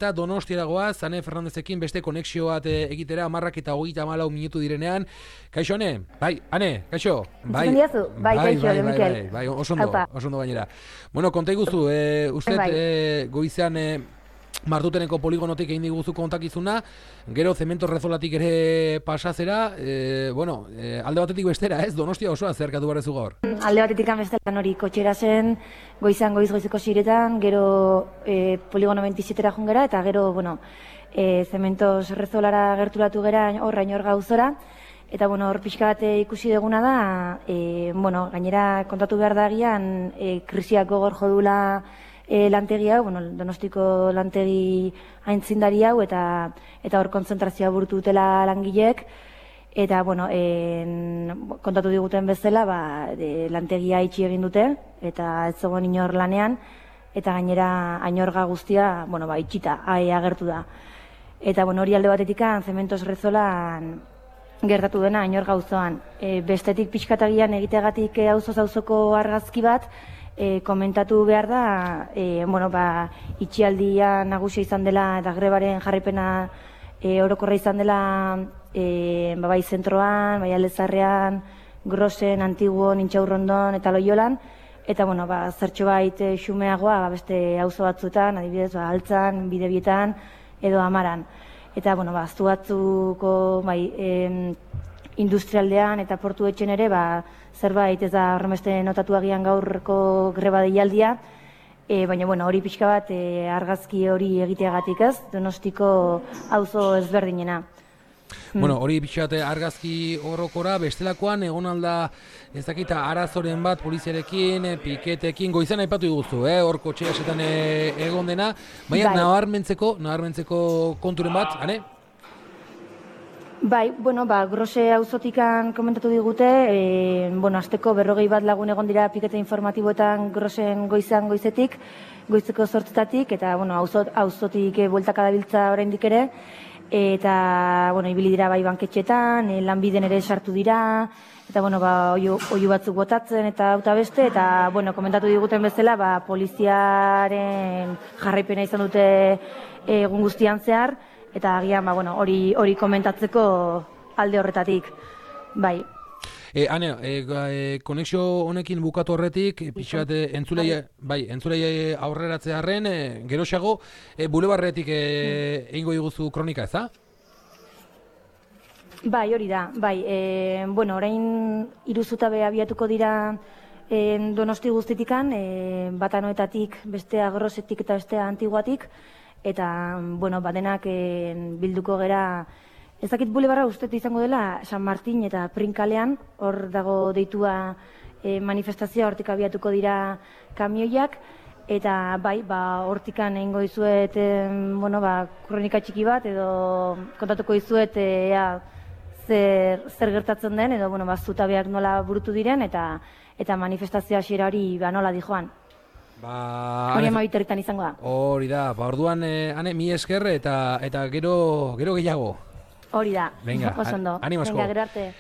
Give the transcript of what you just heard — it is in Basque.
Eta Donostiara goaz, Ane Fernandezekin beste konexio bat egitera, 10:34 minutu direnean. Kaixo, Ane? Bai, Ane, kaixo? Bai, kaixo, Mikel. Bai, oso ondo gainera. Bueno, konta iguzu, goizean Martuteneko poligonotik egin diguzu kontakizuna, gero Zemento Rezolatik ere pasazera, alde batetik bestera, ez? Donostia osoa zerkatu barrezu gaur. Alde batetik bestelan hori kotxera zen, goizeko ziretan, gero poligono 27-era jungera, eta gero, Zemento Rezolara gerturatu gera hor gauzora, eta hor pixka bat ikusi duguna da, gainera kontatu behar da agian, krisiak gogor jodula lantegi hau, Donostiko lantegi aintzindari hau, eta hor kontzentrazioa burutu dutela langileek, eta kontatu diguten bezala, lantegia itxi egin dute, eta ez zegoen inor lanean, eta gainera ainorga guztia, itxita, agertu da. Eta hori alde batetik Zementos Rezolan gertatu dena ainorga auzoan. Bestetik pixkatagian egitegatik auzo-auzoko argazki bat, komentatu behar da, itxialdia nagusia izan dela eta grebaren jarraipena orokorra izan dela bai zentroan, bai Aldezarrean, Grosen, Antiguon, Intxaurrondon eta Loiolan, eta zertxo bait xumeagoa beste auzo batzuetan, adibidez, Altzan, Bidebietan edo Amaran. Eta, aztu batzuko industrialdean eta portu etxen ere, zerbait ez da horremeste notatu agian gaurko greba deialdia, baina hori pixka bat argazki hori egiteagatik ez, Donostiko auzo ezberdinena. Hori pixka bat argazki horrokora, bestelakoan egon alda ez dakita arazoren bat poliziarekin, piketekin, goizan aipatu iguzu, hor kotxea esetan egon dena, baina nabarmentzeko konturen bat, ane? Bai, Grose auzotikan komentatu digute, azteko 40 bat lagun egon dira pikete informatiboetan Grosen goizetik, goizeko 8:00-tatik, eta auzotik bueltaka dabiltza oraindik ere, eta ibili dira bai banketxetan, lanbiden ere sartu dira, eta oihu batzuk botatzen eta auta beste, eta komentatu diguten bezala, poliziaren jarraipena izan dute egun guztian zehar, eta agian hori komentatzeko alde horretatik. Bai. Ane, konexio honekin bukatu horretik, pixat entzulei aurreratzearen, geroxago, bulebarretik egingo diguzu kronika, ez da? Bai, hori da. Orain 3 zutabe abiatuko dira Donosti guztitikan, bata Noetatik, bestea Grosetik eta bestea Antiguatik, eta, badenak bilduko gera, ezakit bulebarra ustetu izango dela San Martin eta Prinkalean, hor dago deitua manifestazioa, hortik abiatuko dira kamioiak, eta hortikan egingo dizuet, kronika txiki bat, edo kontatuko dizuet zer gertatzen den, edo zutabeak nola burutu diren, eta manifestazioa hasiera hori nola dijoan. Hori amabiterritan izango da. Hori da, orduan, Ane, mi esker eta gero gehiago. Hori da, oso ondo. Animasko. Venga, gero arte.